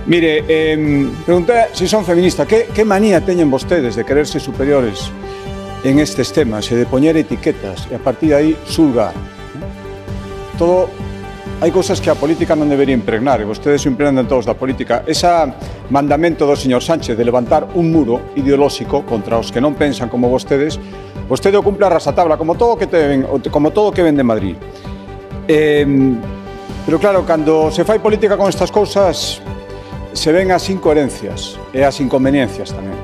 Mire, pregunté se son feministas. Que manía teñen vostedes de quererse superiores en estes temas e de poñer etiquetas e a partir de aí xulgar? Todo... Hai cousas que a política non debería impregnar e vostedes se impregnan todos da política. Ese mandamento do señor Sánchez de levantar un muro ideolóxico contra os que non pensan como vostedes, vostede o cumple a rasatabla, como todo o que ven de Madrid. Pero claro, cando se fai política con estas cousas, se ven as incoherencias e as inconveniencias tamén.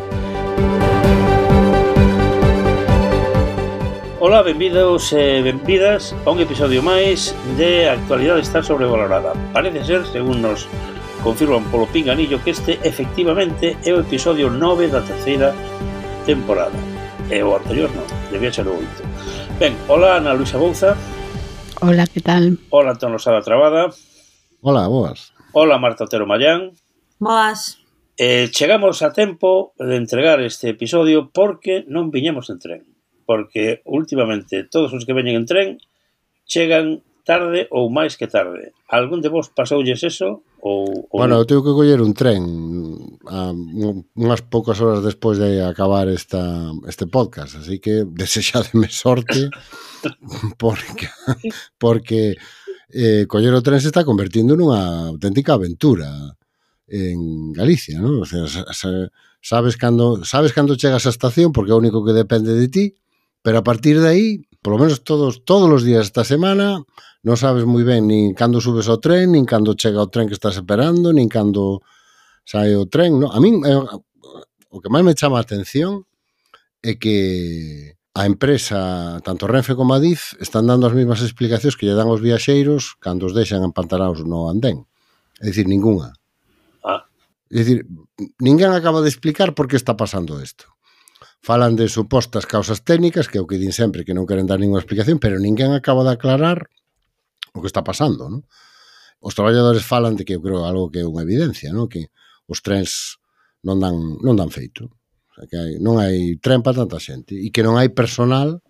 Ola, benvidos e benvidas a un episodio máis de Actualidade está sobrevalorada. Parece ser, según nos confirman polo pinganillo, que este efectivamente é o episodio 9 da terceira temporada. E o anterior non, debía ser o 8. Ben, hola Ana Luisa Bouza. Hola, que tal? Hola Antón Losada Trabada. Hola, boas. Hola Marta Otero Mayán. Boas. Chegamos a tempo de entregar este episodio porque non viñemos en tren. Porque últimamente todos os que veñen en tren chegan tarde ou máis que tarde. Algún de vos pasoulles eso? Bueno, eu tengo que coller un tren unhas poucas horas despois de acabar este podcast, así que desexademe sorte porque coller o tren se está convertindo nunha auténtica aventura en Galicia, ¿no? O sea, sabes cando chegas á estación porque é o único que depende de ti. Pero a partir de aí, polo menos todos os días esta semana, non sabes moi ben nin cando subes ao tren, nin cando chega o tren que estás esperando, nin cando sae o tren, no? A min, o que máis me chama a atención é que a empresa, tanto Renfe como Adif, están dando as mesmas explicacións que lle dan aos viaxeiros cando os deixan empantanados no andén. É dicir, ningunha. É dicir, ninguén acaba de explicar por que está pasando isto. Falan de supostas causas técnicas, que é o que din sempre, que non queren dar ninguna explicación, pero ninguén acaba de aclarar o que está pasando, non? Os traballadores falan de que eu creo algo que é unha evidencia, non? Que os trens non dan feito. O sea, que non hai tren para tanta xente e que non hai personal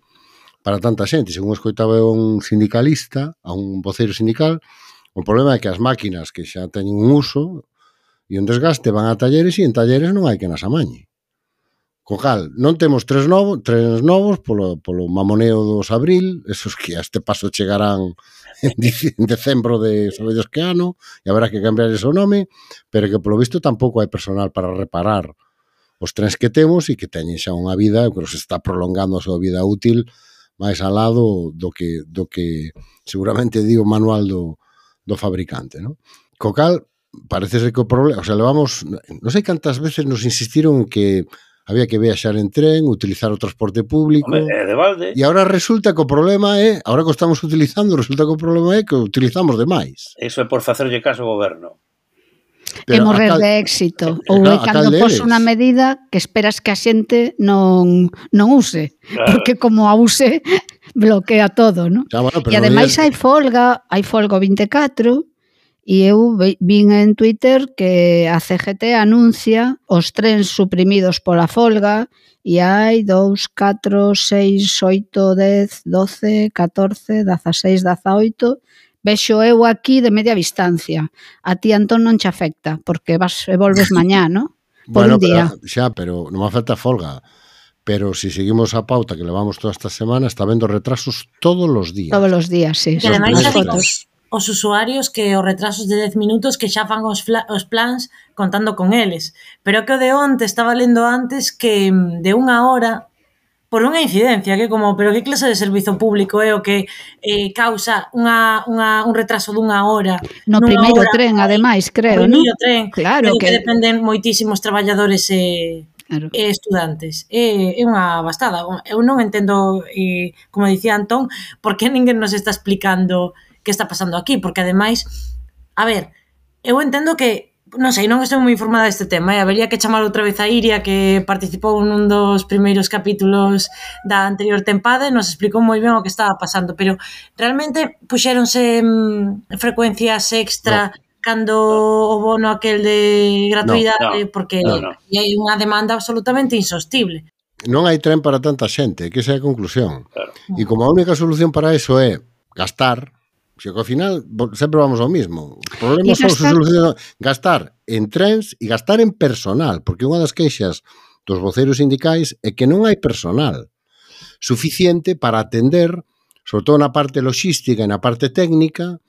para tanta xente. Según escoitaba un sindicalista, a un voceiro sindical, o problema é que as máquinas que xa teñen un uso e un desgaste van a talleres e en talleres non hai que nas amañe. Co cal, non temos trens novos polo mamoneo dos abril, esos que a este paso chegarán en decembro de sabedes que ano, e haberá que cambiar ese nome, pero que polo visto tampouco hai personal para reparar os trens que temos e que teñen xa unha vida, que se está prolongando a súa vida útil máis al lado do que seguramente di o manual do fabricante, non? Co cal, parece ser que o problema, o sea, levamos, non sei cantas veces nos insistiron que había que viaxar en tren, utilizar o transporte público. Hombre, de balde. E agora resulta que o problema é, agora que o estamos utilizando, resulta que o problema é que o utilizamos demais. Eso é por facerlle caso ao goberno. É morrer de éxito. Ou é cando pos unha medida que esperas que a xente non use. Claro. Porque como a use, bloquea todo, non? Bueno, e ademais hai folga o 24, e eu vin en Twitter que a CGT anuncia os trens suprimidos pola folga e hai 2, 4, 6, 8, 10, 12, 14, 16, 18... Vexo eu aquí de media distancia. A ti, Antón, non che afecta, porque vas e volves mañá, non? Por un día. Pero non me afecta a folga. Pero si seguimos a pauta que levamos toda esta semana, está vendo retrasos todos os días. Todos os días, sí. E ademais xa digo os usuarios que os retrasos de 10 minutos que xa fan os plans contando con eles. Pero que o de onte estaba lendo antes que de unha hora por unha incidencia, que como, pero que clase de servizo público é o que causa un retraso dunha hora? No primeiro tren, ademais, creo, non? No primeiro tren, claro, que dependen moitísimos traballadores claro. E estudantes. É unha bastada. Eu non entendo, como dicía Antón, por que ninguén nos está explicando que está pasando aquí, porque ademais, a ver, eu entendo que non sei, non estou moi informada deste tema, habería que chamar outra vez a Iria, que participou nun dos primeiros capítulos da anterior tempada e nos explicou moi ben o que estaba pasando, pero realmente puxéronse frecuencias extra cando o bono aquel de gratuidade, porque hai unha demanda absolutamente insostible. Non hai tren para tanta xente, que esa é a conclusión. Claro. E como a única solución para eso é gastar, que ao final sempre vamos ao mismo. Os problemas son solucionados. Gastar en trens e gastar en personal, porque unha das queixas dos voceiros sindicais é que non hai personal suficiente para atender, sobre todo na parte logística e na parte técnica,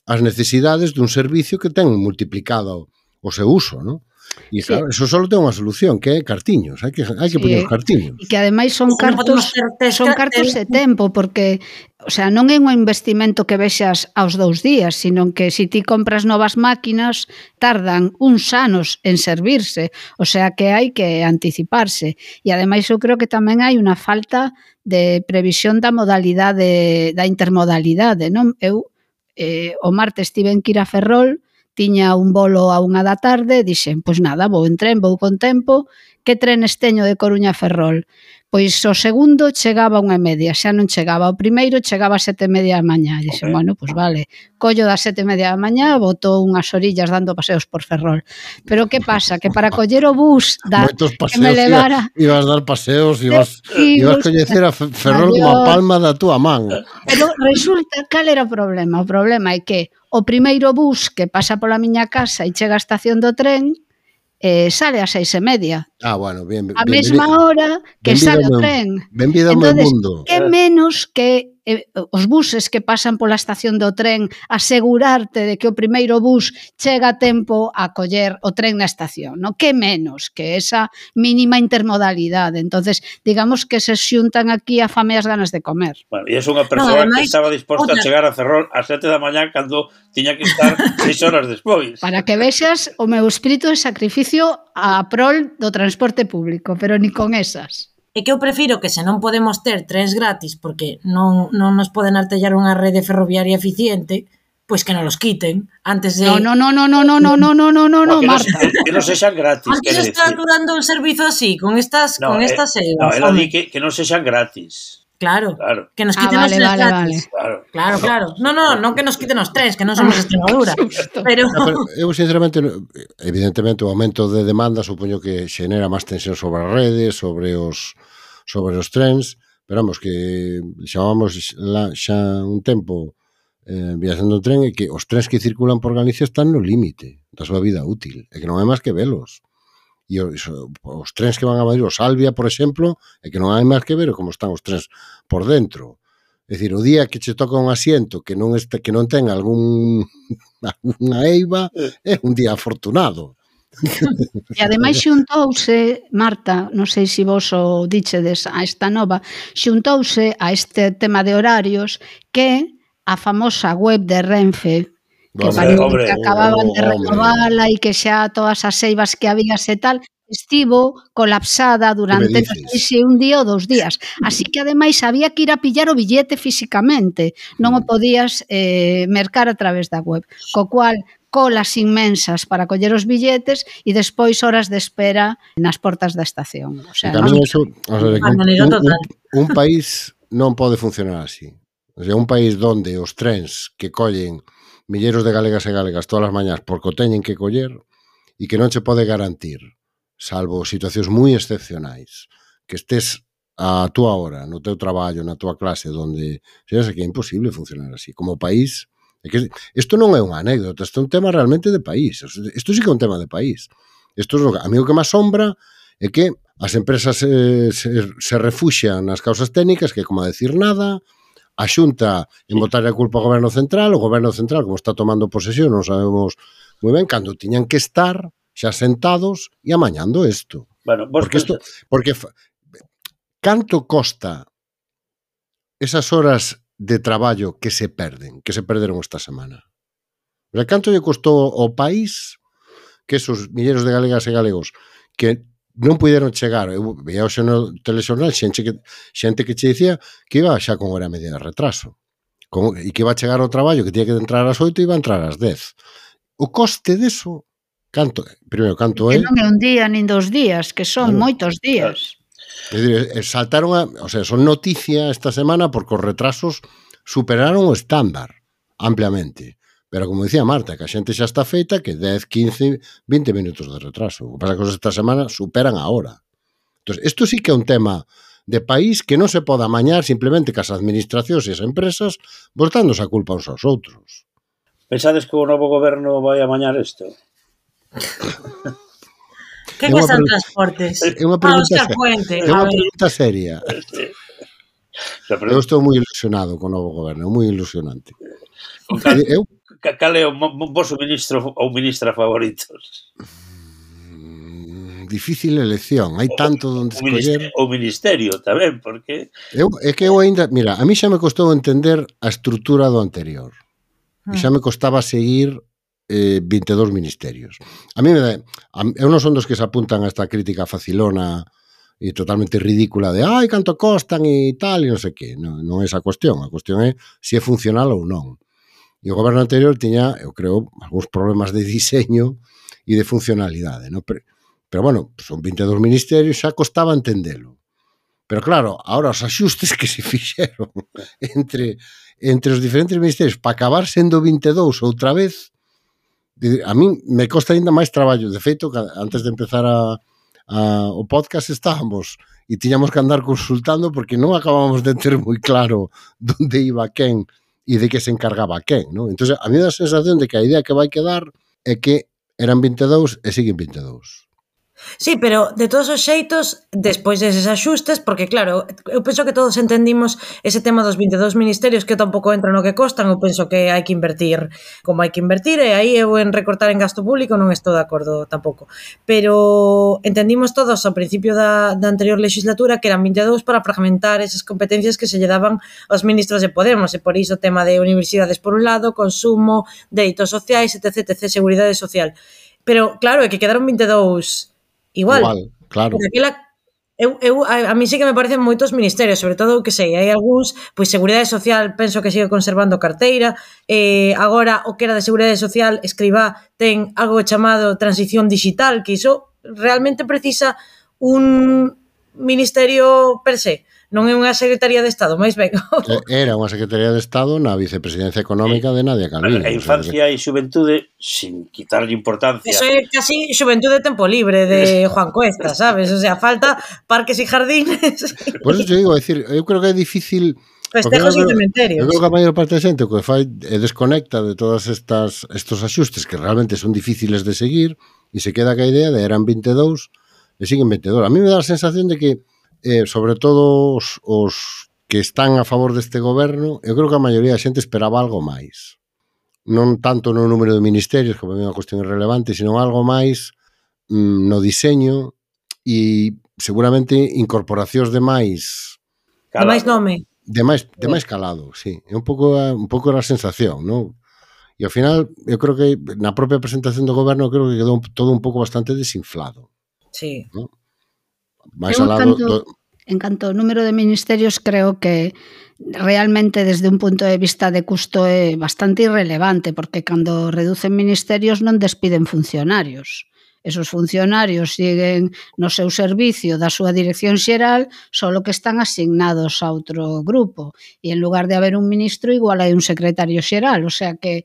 as necesidades dun servicio que ten multiplicado o seu uso, non? E claro, eso só ten unha solución, que é cartiños, hai que poñer os cartiños. E que ademais son cartos de tempo, porque, o sea, non é un investimento que vexas aos 2 días, sino que se ti compras novas máquinas, tardan uns anos en servirse, o sea que hai que anticiparse. E ademais eu creo que tamén hai unha falta de previsión da modalidade, da intermodalidade, non? Eu o martes tiven que ir a Ferrol, tiña un bolo a 1 da tarde, dixen, pois nada, vou en tren, vou con tempo, que trenes teño de Coruña a Ferrol? Pois o segundo chegaba a 1:30, xa non chegaba, o primeiro chegaba a 7:30 da mañá, dixen, bueno, pois vale, collo das 7:30 da mañá, botou unhas orillas dando paseos por Ferrol. Pero que pasa? Que para coller o bus que me levara... Ibas dar paseos, ibas coñecer a Ferrol como a palma da túa man. Pero resulta, cal era o problema? O problema é que o primeiro bus que pasa pola miña casa e chega á estación do tren sale a 6:30. Bueno, bien. A mesma hora que sale o tren. Benvido ao meu mundo. Que menos que os buses que pasan pola estación do tren asegurarte de que o primeiro bus chega a tempo a coller o tren na estación, non? Que menos que esa mínima intermodalidade. Entonces, digamos que se xuntan aquí a fame e as ganas de comer. Bueno, e é unha persoa que estaba disposta a chegar a Ferrol ás 7 da mañá cando tiña que estar 6 horas despois. Para que vexas o meu espírito de sacrificio a prol do transporte público, pero ni con esas. É que eu prefiro que se non podemos ter trens gratis porque non nos poden artellar unha rede ferroviaria eficiente, pois que non los quiten antes de... No, Marta. Que non sexan gratis. Antes está dando un servizo así, con estas selvas. No, ela di que non sexan gratis. Claro, que nos quiten os trens gratis. Claro. Non que nos quiten os trens, que non somos Extremadura. Pero eu, sinceramente, evidentemente, o aumento de demanda supoño que xenera máis tensión sobre as redes, sobre os trens, pero vamos, que xamamos xa un tempo viaxando en tren e que os trens que circulan por Galicia están no límite da súa vida útil, e que non hai máis que velos. E os trens que van a Madrid, o Salvia, por exemplo, é que non hai máis que ver como están os trens por dentro. É dicir, o día que che toca un asiento que non ten alguna eiva, é un día afortunado. E ademais xuntouse, Marta, non sei se vos o dichedes a esta nova, xuntouse a este tema de horarios que a famosa web de Renfe, que acababan de renovala e que xa todas as eivas que había e tal, estivo colapsada durante un día ou 2 días. Así que, ademais, había que ir a pillar o billete físicamente. Non o podías mercar a través da web. Co cual, colas inmensas para coller os billetes e despois horas de espera nas portas da estación. O sea, un país non pode funcionar así. O sea, un país donde os trens que collen milleiros de galegas e galegas todas as mañás porque o teñen que coller e que non se pode garantir, salvo situacións moi excepcionais, que estés a túa hora, no teu traballo, na túa clase, donde xa que é imposible funcionar así. Como país, isto non é unha anécdota, isto é un tema realmente de país. Isto sí que é un tema de país. A mí o que me asombra é que as empresas se refuxian nas causas técnicas, que é como a decir nada, a Xunta en botar a culpa ao Goberno Central, o Goberno Central, como está tomando posesión, non sabemos moi ben, cando tiñan que estar xa sentados e amañando isto. Bueno, porque canto costa esas horas de traballo que se perderon esta semana? O sea, canto lle costou ao país que esos milleiros de galegas e galegos que non puderon chegar, eu veía hoxe no telexornal xente que che dicía que iba xa con hora e media de retraso e que iba a chegar ao traballo que tiña que entrar ás 8 e iba a entrar ás 10. O coste deso, canto é? Que non é un día nin 2 días, que son moitos días. É dicir, saltaron son noticia esta semana porque os retrasos superaron o estándar ampliamente. Pero, como dicía Marta, que a xente xa está feita que 10, 15, 20 minutos de retraso. O que pasa que esta semana superan a hora. Entón, isto sí que é un tema de país que non se pode amañar simplemente cas administracións e as empresas botándose a culpa uns aos outros. Pensades que o novo goberno vai amañar isto? Que son transportes? É unha pregunta seria. Eu estou moi ilusionado con o novo goberno, moi ilusionante. Cal é o vosso ministro ou ministra favoritos? Difícil elección, hai tanto onde escoller. O ministerio tamén, porque... É que eu ainda, mira, a mí xa me costou entender a estrutura do anterior. E xa me costaba seguir 22 ministerios. A mí eu non son dos que se apuntan a esta crítica facilona e totalmente ridícula de ai, canto costan e tal, e non sei que. Non é esa cuestión. A cuestión é se é funcional ou non. E o goberno anterior tiña, eu creo, algúns problemas de diseño e de funcionalidade, non? Pero bueno, son 22 ministerios, xa costaba entendelo. Pero claro, ahora os axustes que se fixeron entre os diferentes ministerios para acabar sendo 22 outra vez, a mí me costa ainda máis traballo. De feito, antes de empezar o podcast estábamos e tiñamos que andar consultando porque non acabábamos de ter moi claro onde iba quen e de que se encargaba quen, non? Entón, a mí dá a sensación de que a idea que vai quedar é que eran 22 e siguen 22. Sí, pero de todos os xeitos, despois deses axustes, porque claro, eu penso que todos entendimos ese tema dos 22 ministerios que tampouco entra no que costan, eu penso que hai que invertir como hai que invertir, e aí eu en recortar en gasto público non estou de acordo tampouco. Pero entendimos todos ao principio da anterior legislatura que eran 22 para fragmentar esas competencias que se lle daban aos ministros de Podemos, e por iso o tema de universidades por un lado, consumo, dereitos sociais, etc, seguridade social. Pero claro, é que quedaron 22 igual, claro. A mí sí que me parecen moitos ministerios, sobre todo, que sei, hai algúns, pois Seguridade Social penso que sigue conservando carteira, agora o que era de Seguridade Social, Escrivá, ten algo chamado Transición Digital, que iso realmente precisa un ministerio per se, non é unha Secretaría de Estado, máis ben. Era unha Secretaría de Estado na Vicepresidencia Económica de Nadia Calviño. A infancia e xuventude, sin quitarlle importancia. Eso é casi xuventude de tempo libre de Juan Cuesta, sabes? O sea, falta parques e jardines. Por eso te digo, decir, eu creo que é difícil... Festejos e cementerios. Eu creo que a maior parte da xente o que fai é desconecta de todos estos axustes que realmente son difíciles de seguir e se queda ca idea de eran 22 e siguen 22. A mí me dá a sensación de que sobre todo os que están a favor deste goberno, eu creo que a maioría da xente esperaba algo máis. Non tanto no número de ministerios, que é unha cuestión irrelevante, sino algo máis no diseño e seguramente incorporacións de máis... De máis nome. De máis calado, sí. É un pouco a sensación, non? E ao final, eu creo que na propia presentación do goberno creo que quedou todo un pouco bastante desinflado. Sí. ¿No? Máis ao lado... En canto ao número de ministerios, creo que realmente desde un punto de vista de custo é bastante irrelevante, porque cando reducen ministerios non despiden funcionarios. Esos funcionarios siguen no seu servicio da súa dirección xeral, solo que están asignados a outro grupo. E en lugar de haber un ministro, igual hai un secretario xeral. O sea que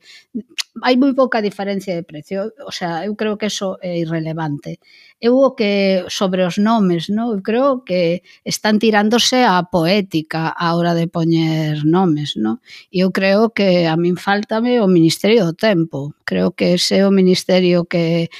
hai moi pouca diferencia de precio. O sea, eu creo que eso é irrelevante. Eu o que sobre os nomes, no? Eu creo que están tirándose a poética a hora de poñer nomes, no? E eu creo que a min faltame o Ministerio do Tempo. Creo que ese é o ministerio que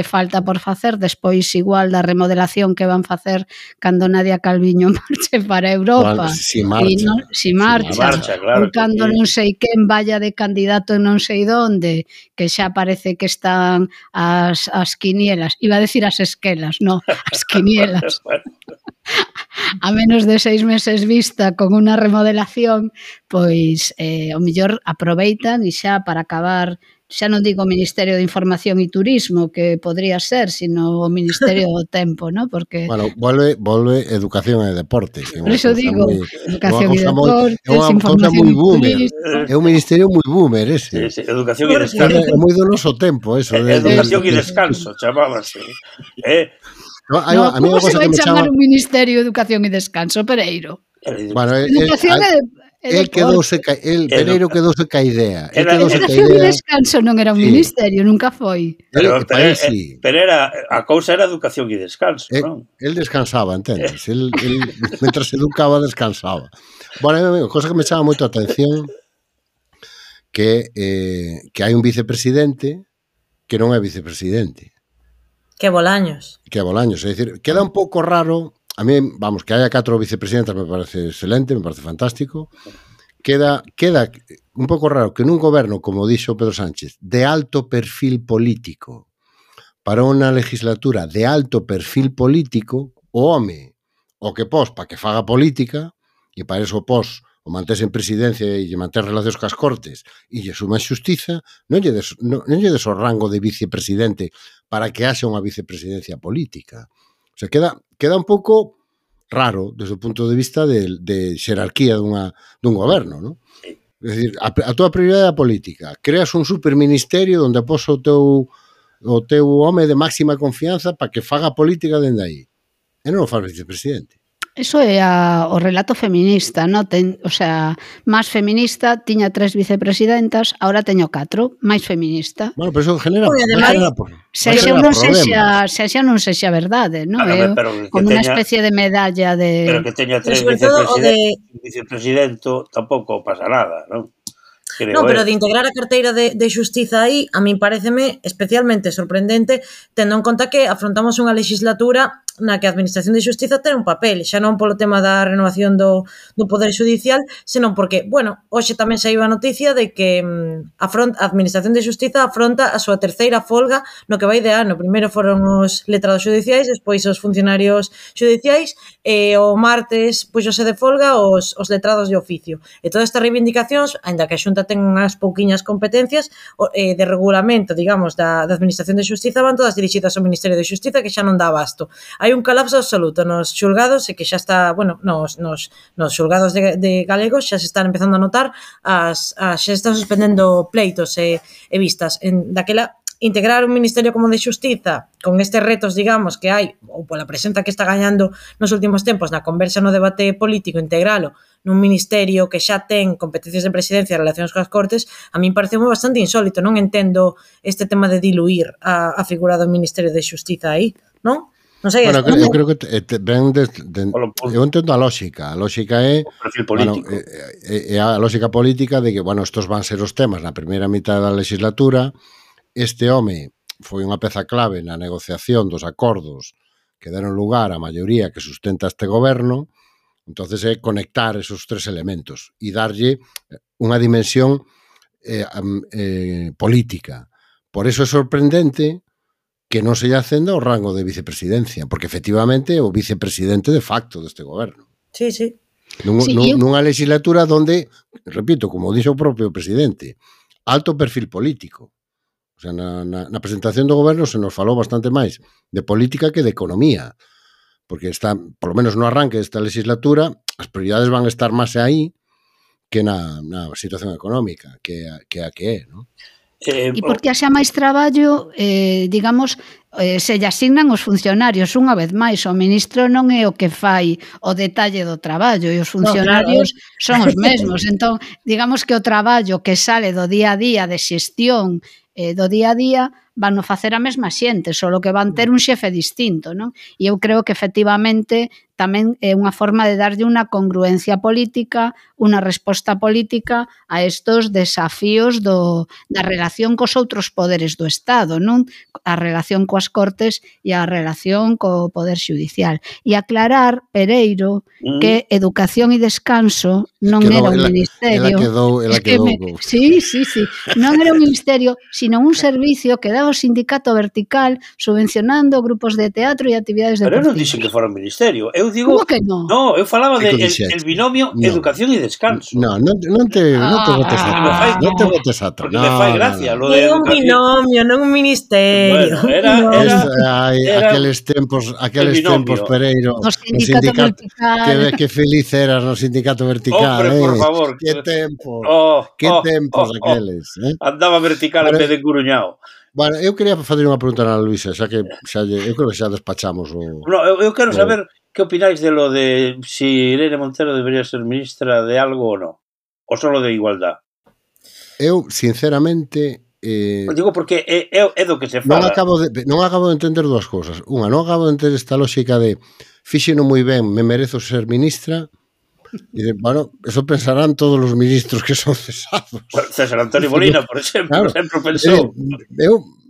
falta por facer, despois igual da remodelación que van facer cando Nadia Calviño marche para Europa. Si marcha. Si marcha, claro, ou cando non sei quen vaya de candidato non sei donde, que xa parece que están as quinielas, iba a decir as esquelas, no, as quinielas. A menos de 6 meses vista con unha remodelación, pois o mellor aproveitan e xa para acabar, xa non digo o Ministerio de Información e Turismo, que podría ser, sino o Ministerio do Tempo, ¿no? Porque... Bueno, volve Educación e Deportes. Por eso digo, Educación e Deportes, Información e Turismo. É un ministerio moi boomer ese. Sí, Educación e Descanso. É moi do noso tempo, eso. Educación e Descanso, chamábase. A mí como se vai chamar un Ministerio de Educación e Descanso, Pereiro? Bueno, Educación Pereiro quedouse ca idea. Educación e descanso non era un ministerio, nunca foi. Pero a cousa era educación e descanso, non? El descansaba, entendes? El mentras educaba, descansaba. Bueno, cosa que me chama moito a atención que hai un vicepresidente que non é vicepresidente. Que Bolaños. É dicir, queda un pouco raro. A mí, vamos, que haya 4 vicepresidentas me parece excelente, me parece fantástico. Queda un pouco raro que nun goberno, como dixo Pedro Sánchez, de alto perfil político, para unha legislatura de alto perfil político, o home, o que pos para que faga política, e para eso pos o mantés en presidencia e manter relacións cas cortes e lle suma xustiza, non lle des o rango de vicepresidente para que haxa unha vicepresidencia política. O sea, queda un pouco raro desde o punto de vista de xerarquía dun goberno, non? É dicir, a tua prioridade é a política. Creas un superministerio onde pos o teu home de máxima confianza para que faga política dende aí. E non o faz vicepresidente. Eso é o relato feminista, ¿no? O sea, máis feminista, tiña 3 vicepresidentas, ahora teño 4, máis feminista. Bueno, pero eso genera sexa non sexa verdade, ¿no? Como unha especie de medalla de... Pero que teña 3 vicepresidente tampouco pasa nada, non? No, pero de integrar a carteira de xustiza aí, a min pareceme especialmente sorprendente, tendo en conta que afrontamos unha legislatura na que a Administración de Xustiza ten un papel, xa non polo tema da renovación do Poder Judicial, senón porque, bueno, hoxe tamén saiu a noticia de que a Administración de Xustiza afronta a súa terceira folga no que vai de ano. Primeiro foron os letrados judiciais, despois os funcionarios judiciais, e o martes puxose de folga os letrados de oficio. E todas estas reivindicacións, aínda que a Xunta ten unhas pouquiñas competencias de regulamento, digamos, da Administración de Xustiza, van todas dirixidas ao Ministerio de Xustiza, que xa non dá abasto. Hai un colapso absoluto nos xulgados e que xa está, bueno, nos xulgados de galegos xa se están empezando a notar, xa están suspendendo pleitos e vistas. Daquela, integrar un ministerio como de Xustiza con estes retos, digamos, que hai, ou pola presenta que está gañando nos últimos tempos na conversa no debate político, integralo nun ministerio que xa ten competencias de presidencia e relacións coas cortes, a min pareceu bastante insólito. Non entendo este tema de diluir a figura do Ministerio de Xustiza aí, non? Non sei, bueno, eu creo que eu entendo a lógica. A lógica é a lógica política de que, bueno, estos van ser os temas na primeira mitad da legislatura. Este home foi unha peza clave na negociación dos acordos que deron lugar á maioría que sustenta este goberno. Entonces é conectar esos 3 elementos e darlle unha dimensión política. Por eso é sorprendente que non se lle acenda o rango de vicepresidencia, porque efectivamente é o vicepresidente de facto deste goberno. Sí, sí. Nunha legislatura donde, repito, como dixo o propio presidente, alto perfil político. O sea, na presentación do goberno se nos falou bastante máis de política que de economía, porque está, por lo menos no arranque desta legislatura, as prioridades van a estar máis aí que na situación económica, que é, non? E porque haxa máis traballo, digamos, se lle asignan os funcionarios. Unha vez máis, o ministro non é o que fai o detalle do traballo e os funcionarios son os mesmos. Entón, digamos que o traballo que sale do día a día de xestión do día a día van a facer a mesma xente, só que van ter un xefe distinto, non? E eu creo que efectivamente tamén é unha forma de darlle unha congruencia política, unha resposta política a estos desafíos da relación cos outros poderes do Estado, non? A relación coas Cortes e a relación co Poder Xudicial. E aclarar, Pereiro, que Educación e Descanso non era un ministerio. Ela quedou. Sí. Non era un ministerio, sino un servicio que daba o Sindicato Vertical subvencionando grupos de teatro e actividades deportivas. Pero eu non dixen que fora un ministerio. Eu digo... Como que non? No, eu falaba de el binomio Educación e Descanso. Non te botes a porque me fai gracia lo É de un binomio, non un ministerio. Bueno, era aqueles tempos, Pereiro, no Sindicato Vertical. Que feliz eras no Sindicato Vertical. Hombre, por favor. Que tempos. Que tempos aqueles. Andaba vertical en vez de curuñao. Bueno, eu quería facer unha pregunta a Luisa, xa que eu creo que xa despachamos o... No, eu quero saber que opináis de lo de si Irene Montero debería ser ministra de algo ou non. ou solo de igualdade? Eu, sinceramente... Digo porque é do que se fala. Non acabo de entender dúas cousas. Unha, non acabo de entender esta lógica de fíxeno moi ben, me merezo ser ministra. E, bueno, eso pensarán todos os ministros que son cesados. César Antonio Molina, por exemplo, claro, sempre pensou.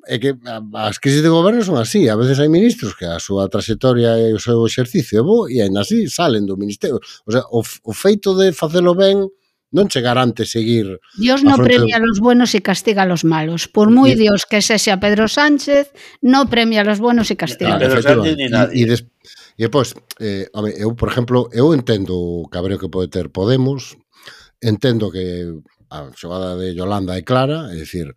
É que as crisis de goberno son así. A veces hai ministros que a súa trayectoria e o seu exercicio é bo e ainda así salen do ministerio. O sea, o feito de facelo ben non che garante seguir... Dios no premia a los buenos y castiga a los malos. Por muy Dios que sexa Pedro Sánchez, no premia a los buenos y castiga a los malos. Pedro Sánchez ni nadie. E depois, eu, por exemplo, eu entendo o cabreo que pode ter Podemos, entendo que a xogada de Yolanda é clara, é dicir,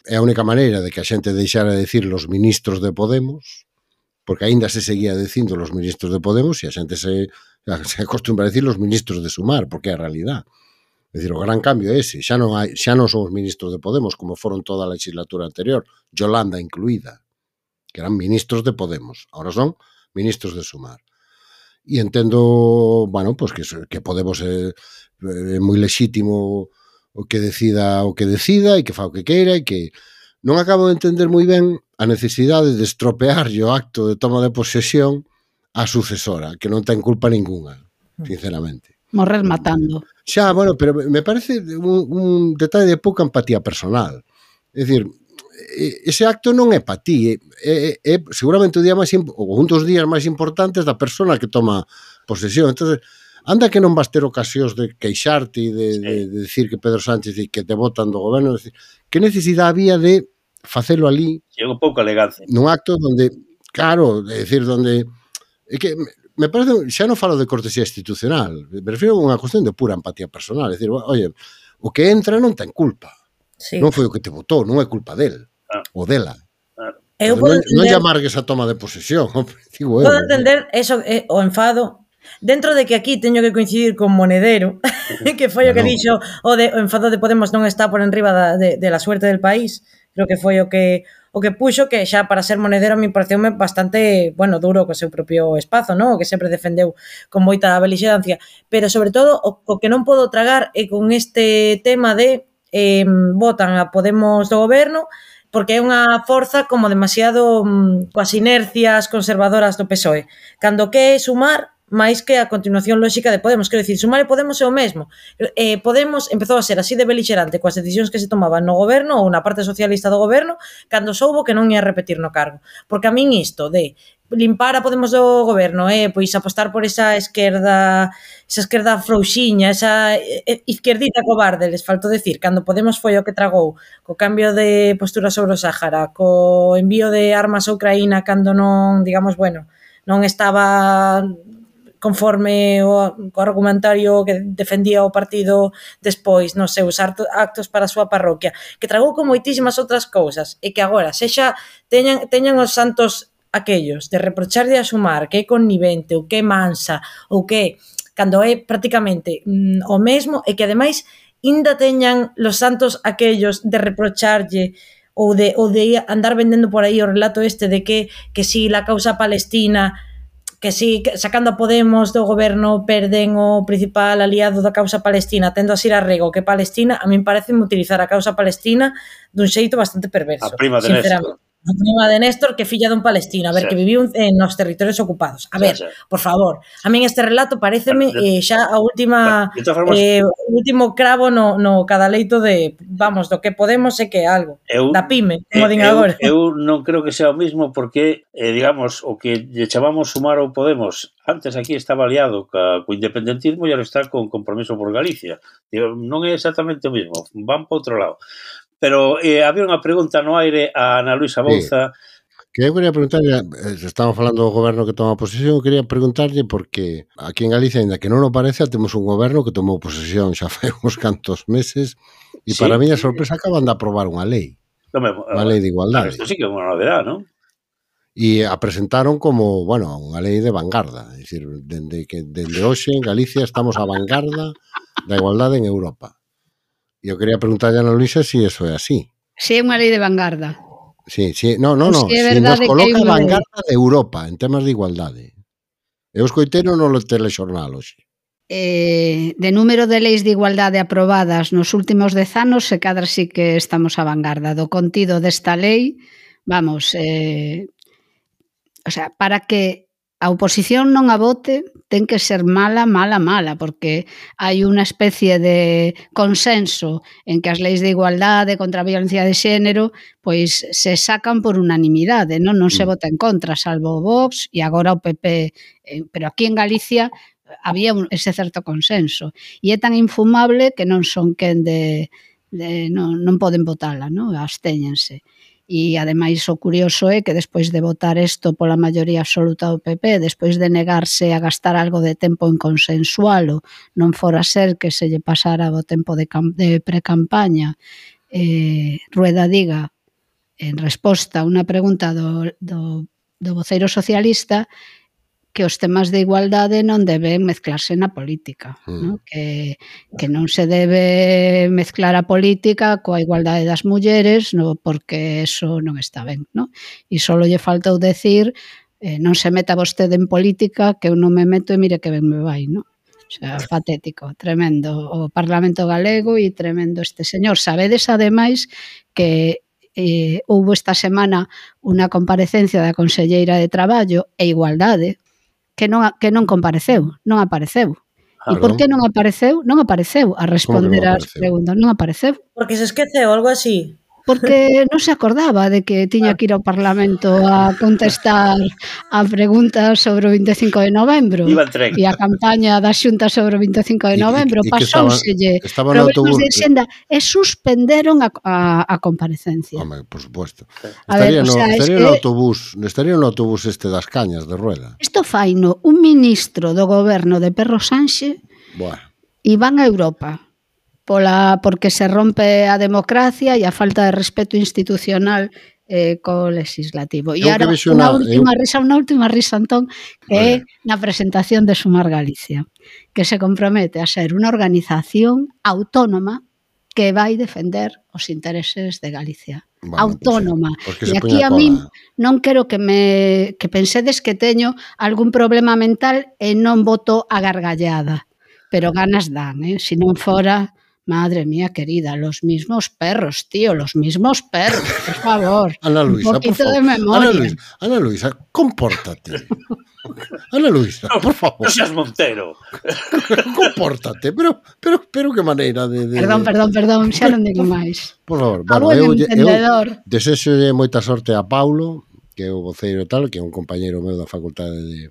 é a única maneira de que a xente deixara de decir los ministros de Podemos, porque aínda se seguía dicindo los ministros de Podemos e a xente se acostumbra a decir los ministros de Sumar, porque é a realidad. É dicir, o gran cambio é ese, xa non son os ministros de Podemos como foron toda a legislatura anterior, Yolanda incluída, que eran ministros de Podemos, ahora son ministros de Sumar. E entendo, bueno, pues que Podemos é moi lexítimo o que decida e que fa o que queira e que non acabo de entender moi ben a necesidade de estropear o acto de toma de posesión á sucesora, que non ten culpa ninguna, sinceramente. Morrer matando. Xa, bueno, pero me parece un detalle de pouca empatía personal. É dicir, ese acto non é para ti, é seguramente o día máis ou un dos días máis importantes da persona que toma posesión. Entonces, anda que non vas ter ocasións de queixarte e de decir que Pedro Sánchez e que te votan do goberno. Que necesidade había de facelo ali? Chego pouco elegancia. Nun acto donde, claro, é dicir, donde... É que me parece, xa non falo de cortesía institucional, me refiero a unha cuestión de pura empatía personal, é dicir, oye, o que entra non ten culpa, non foi o que te votou, non é culpa del, ou dela. Non lle amargues a toma de posesión, digo eu. Podo entender eso, o enfado, dentro de que aquí teño que coincidir con Monedero, que foi o que dixo, o enfado de Podemos non está por enriba de la suerte del país, creo que foi o que puxo, que xa para ser Monedero a mí pareceume bastante, bueno, duro co seu propio espazo, non? O que sempre defendeu con moita belixerancia, pero sobre todo o que non podo tragar é con este tema de votan a Podemos do goberno porque é unha forza como demasiado coas inercias conservadoras do PSOE, cando que é Sumar máis que a continuación lóxica de Podemos. Quero dicir, Sumar e Podemos é o mesmo. Podemos empezou a ser así de belixerante coas decisións que se tomaban no goberno ou na parte socialista do goberno cando soubo que non ia repetir no cargo. Porque a min isto de limpar a Podemos do goberno pois apostar por esa esquerda frouxiña, esa izquierdita cobarde, les falto decir, cando Podemos foi o que tragou co cambio de postura sobre o Sáhara, co envío de armas a Ucraína cando non, digamos, bueno, non estaba conforme o argumentario que defendía o partido despois nos seus actos para a súa parroquia, que tragou con moitísimas outras cousas, e que agora sexa teñan os santos aquellos de reprocharlle a Sumar que é connivente ou que é mansa ou que cando é prácticamente o mesmo, e que ademais ainda teñan los santos aquellos de reprocharlle ou de andar vendendo por aí o relato este de que si la causa palestina, que si sacando a Podemos do goberno perden o principal aliado da causa palestina, tendo a ir a rego que Palestina, a min parece utilizar a causa palestina dun xeito bastante perverso. A prima de Néstor. A prima de Néstor, que filla dun palestino, a ver, que viviu nos territorios ocupados. A ver, por favor, a min este relato pareceme xa a última último cravo no cadaleito de, vamos, do que Podemos é que é algo, da pyme, como din agora. Eu non creo que sea o mismo porque, digamos, o que lle chamamos Sumar ou Podemos, antes aquí estaba aliado co independentismo e agora está con Compromiso por Galicia. Non é exactamente o mismo, van para outro lado. Pero había unha pregunta no aire a Ana Luisa Bouza. Que eu quería preguntarlle, estamos falando do goberno que toma posesión, eu quería preguntarlle porque aquí en Galicia, ainda que non o parece, temos un goberno que tomou posesión xa fai uns cantos meses e para miña sorpresa acaban de aprobar unha lei. Unha lei de igualdade. Isto sí que é unha novedade, non? E a presentaron como, bueno, unha lei de vanguarda. É dicir, dende hoxe en Galicia estamos a vanguarda da igualdade en Europa. E eu quería preguntarlle a Ana Luisa se eso é así. Si é unha lei de vanguarda. Sí, no, si nos coloca a vanguarda de Europa en temas de igualdade. Eu escoitei no telexornal hoxe. de número de leis de igualdade aprobadas nos últimos 10 anos, se cadra sí que estamos a vanguarda do contido desta lei. Vamos, o sea, para que a oposición non a vote ten que ser mala, porque hai unha especie de consenso en que as leis de igualdade contra a violencia de xénero pois se sacan por unanimidade, non se vota en contra, salvo o Vox e agora o PP, pero aquí en Galicia había ese certo consenso e é tan infumable que non son quen non poden votala, non? Abstéñense. E, ademais, o curioso é que despois de votar isto pola maioría absoluta do PP, despois de negarse a gastar algo de tempo en consensualo, non fora ser que se lle pasara o tempo de pre-campaña, Rueda diga, en resposta a unha pregunta do voceiro socialista, que os temas de igualdade non deben mezclarse na política, non? Que non se debe mezclar a política coa igualdade das mulleres, porque eso non está ben, non? E só lle faltou decir non se meta vostede en política, que eu non me meto e mire que ben me vai, non? O sea, patético, tremendo o Parlamento galego e tremendo este señor. Sabedes, ademais, que houbo esta semana unha comparecencia da Conselleira de Traballo e Igualdade que non compareceu, non apareceu. E por que non apareceu? Non apareceu a responder ás preguntas, non apareceu. Porque se esqueceu, algo así. Porque non se acordaba de que tiña que ir ao Parlamento a contestar a preguntas sobre o 25 de novembro e a campaña da Xunta sobre o 25 de novembro. Pasóuselle problemas de xenda e suspenderon a comparecencia. Home, por suposto. Estaría no autobús este das Cañas de Rueda. Isto faino un ministro do goberno de Pedro Sánchez e van a Europa porque se rompe a democracia e a falta de respeto institucional co legislativo. E agora unha última risa, Antón, que é na presentación de Sumar Galicia, que se compromete a ser unha organización autónoma que vai defender os intereses de Galicia. Autónoma. E aquí a min non quero que pensedes que teño algún problema mental e non voto a gargallada, pero ganas dan, se non fora... Madre mía querida, los mismos perros, tío, los mismos perros, por favor. Ana Luisa, un poquito de memoria. Ana Luisa, compórtate. Ana Luisa, por favor. No seas Montero. Compórtate, pero que maneira de... Perdón, xa non digo máis. Por favor, eu desexolle moita sorte a Paulo, que é o voceiro tal, que é un compañeiro meu da Facultade de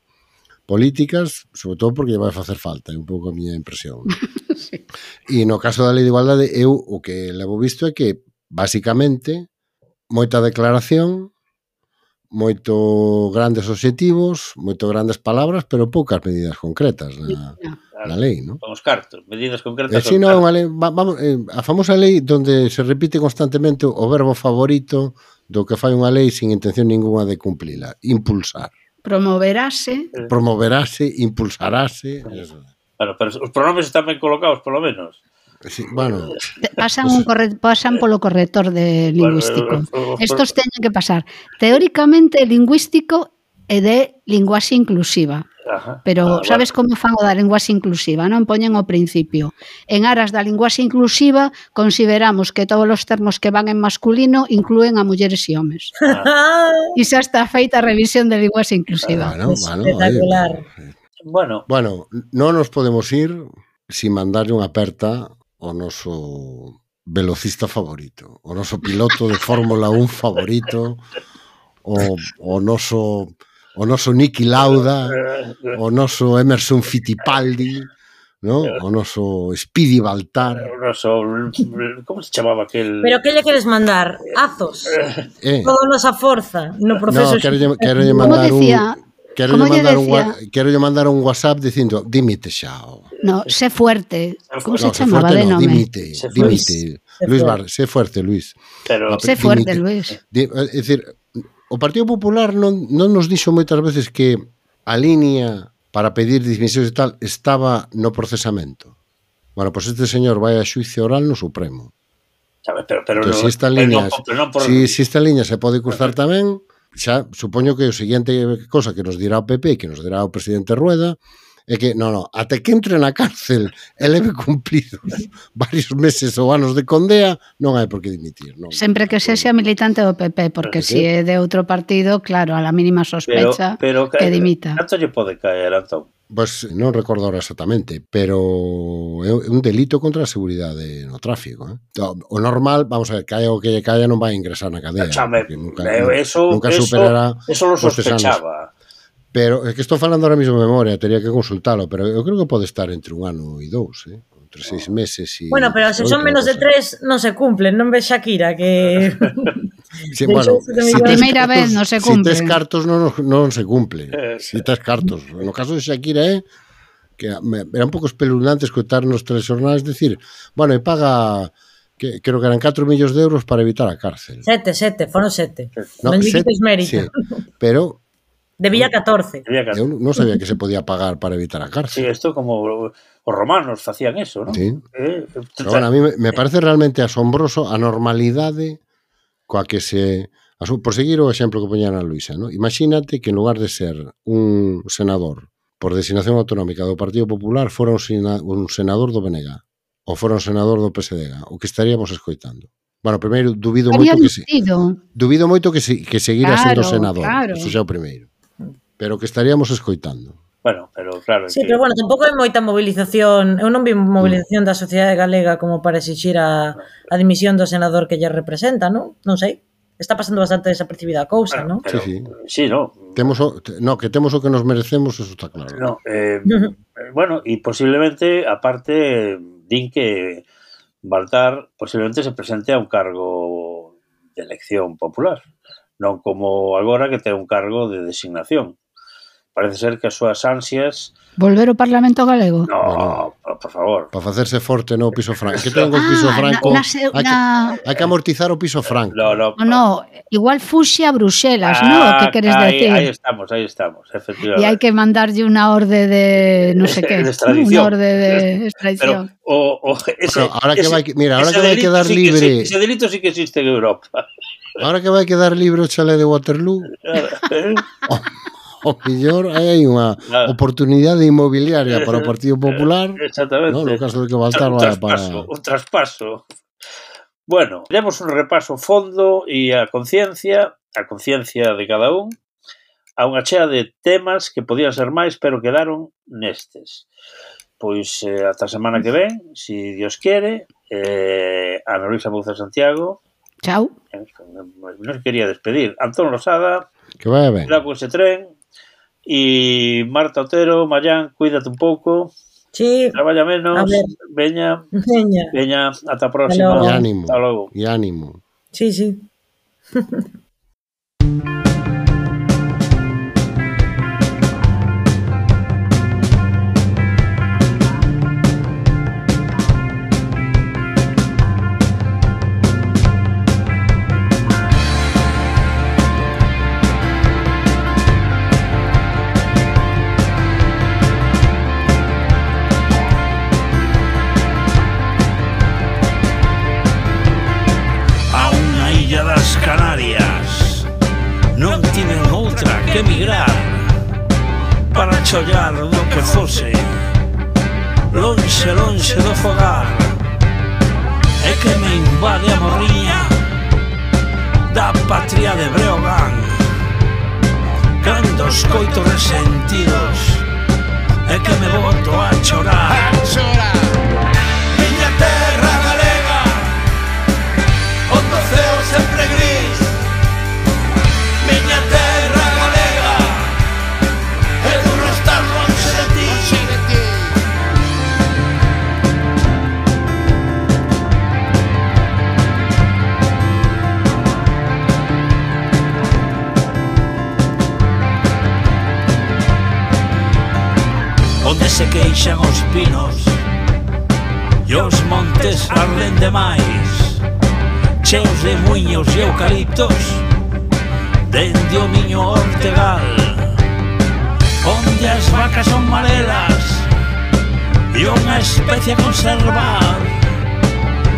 Políticas, sobre todo porque vai facer falta, é un pouco a miña impresión. Sí. E no caso da Lei de Igualdade, eu o que levo visto é que, basicamente, moita declaración, moito grandes obxectivos, moito grandes palabras, pero poucas medidas concretas na lei, non? Con os cartos, medidas concretas. A famosa lei onde se repite constantemente o verbo favorito do que fai unha lei sin intención ninguna de cumplila, impulsar. Promoverase, impulsarase. Pero os pronomes están ben colocados, polo menos. Sí, bueno. Pasan polo corrector de lingüístico. Estos teñen que pasar teóricamente lingüístico e de linguaxe inclusiva. Pero sabes como fan o da linguaxe inclusiva, non? Poñen o principio. En aras da linguaxe inclusiva consideramos que todos os termos que van en masculino inclúen a mulleres e homes. E xa está feita a revisión de linguaxe inclusiva. Espectacular. Bueno, non nos podemos ir sin mandarlle unha aperta ao noso velocista favorito, o noso piloto de Fórmula 1 favorito, o noso Niki Lauda, o noso Emerson Fittipaldi, ¿no? O noso Speedy Baltar. O noso... Como se chamaba aquel... Pero que lle queres mandar? Azos? Toda a nosa forza no proceso... No, quero mandar un WhatsApp dicindo dimite xao. No, sé fuerte. Como se chamaba de nome? Dimite. Luis Bar, sé fuerte, Luis. Sé fuerte, Luis. É dicir, o Partido Popular non nos dixo moitas veces que a línea para pedir dimisións e tal estaba no procesamento. Bueno, pois este señor vai a xuicio oral no Supremo. Pero se esta liña se pode cruzar tamén, xa supoño que o seguinte cosa que nos dirá o PP, que nos dirá o presidente Rueda, É que, até que entre na cárcel e leve cumplidos varios meses ou anos de condea, non hai por que dimitir. Sempre que sexa militante do PP, porque se é de outro partido, claro, a la mínima sospecha que dimita. Canto lle pode caer, Antón? Pois non recordo ahora exactamente, pero é un delito contra a seguridade no tráfico. O normal, vamos a ver, caia o que lle caia non vai ingresar na cadea. Nunca superará eso lo sospechaba. Pero é que estou falando ahora mismo de memoria, teria que consultalo, pero eu creo que pode estar entre 1 ano e 2, entre 6 meses e... Bueno, pero se son menos de 3 non se cumplen, non ves Shakira que... Sí, bueno, a primeira vez non se cumple. Si tes cartos non se cumple. Si tes cartos. No caso de Shakira que era un pouco espeluznante escoitar nos telexornais decir, bueno, e paga... creo que eran 4 millóns de euros para evitar a cárcel. 7, foron 7. Non dices mérito. Sí, pero... Debía 14. Eu non sabía que se podía pagar para evitar a cárcel. Sí, isto como os romanos facían eso, ¿no? Sí. Pero bueno, a mí me parece realmente asombroso a normalidade coa que se... Por seguir o exemplo que poñan a Luisa, ¿no? Imagínate que en lugar de ser un senador por designación autonómica do Partido Popular fora un senador do BNG ou fora un senador do PSDG, o que estaríamos escoitando. Bueno, primeiro, dubido moito que seguira sendo senador. Eso xa é o primeiro. Pero que estaríamos escoitando. Bueno, pero claro... Sí, pero bueno, tampouco hai moita movilización. Eu non vi movilización da sociedade galega como para exixir a dimisión do senador que lle representa, non? Non sei. Está pasando bastante desapercibida a cousa, non? Sí, no. Que temos o que nos merecemos, eso está claro. No, bueno, e posiblemente, aparte, din que Baltar posiblemente se presente a un cargo de elección popular, non como agora que ten un cargo de designación. Parece ser que as súas ansias... Volver ao Parlamento Galego? No, por favor. Para facerse forte no piso franco. Que ten o piso franco... Hai que amortizar o piso franco. No, igual fuxe a Bruxelas, ¿no? Que queres decir? Aí estamos, efectivamente. E hai que mandarlle unha orde de non sei que. De extradición. Unha orde de extradición. Ahora que vai quedar libre... Ese delito sí que existe en Europa. Ahora que vai quedar libre o chalé de Waterloo... O mellor hai unha oportunidade inmobiliaria para o Partido Popular. Exactamente. No caso de que Baltar vaya para... Un traspaso. Bueno, demos un repaso fondo e a conciencia de cada un, a unha chea de temas que podían ser máis, pero quedaron nestes. Pois ata a semana que ven, si Dios quere, Ana Luisa Mouza Santiago. Chao. Non quería despedir. Antón Losada. Que vaya ben. Cuidado con ese tren. E Marta Otero, Mayán, cuídate un pouco. Sí. Traballa menos. Veña, ata a próxima. E ánimo. Hasta logo. E ánimo. Sí. Que emigrar para chollar do que fose lonxe do fogar, é que me invade a morriña da patria de Breogán. Cando escoito resentidos é que me boto a chorar. Miña terra galega, onde o ceo sempre gris. Miña terra onde se queixan os pinos e os montes arden demais, cheos de muiños e eucaliptos dende o miño Ortegal, onde as vacas son marelas e unha especie a conservar,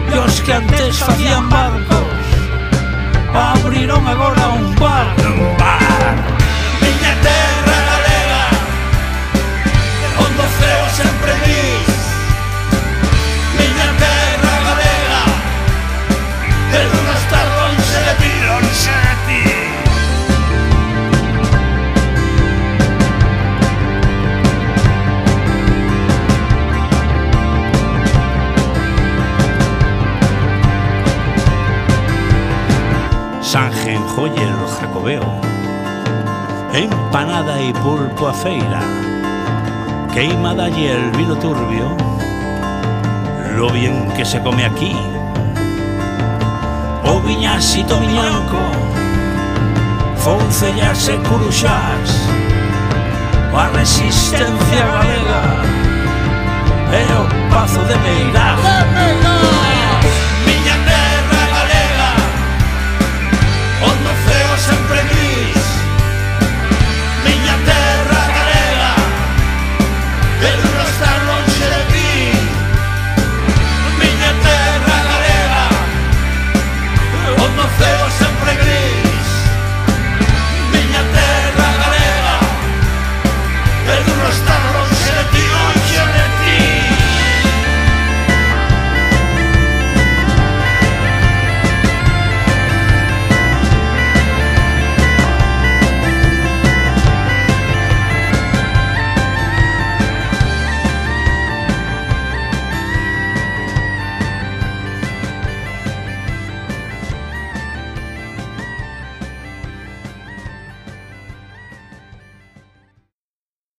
e os que antes facían barcos abriron agora un bar. Miña terra galega, onde Sangen joyer o jacobeo, empanada y pulpo a feira, queimada y el vino turbio, lo bien que se come aquí. O viñasito miñanco, foncellas e curuxás, a resistencia galega e o pazo de Meirás.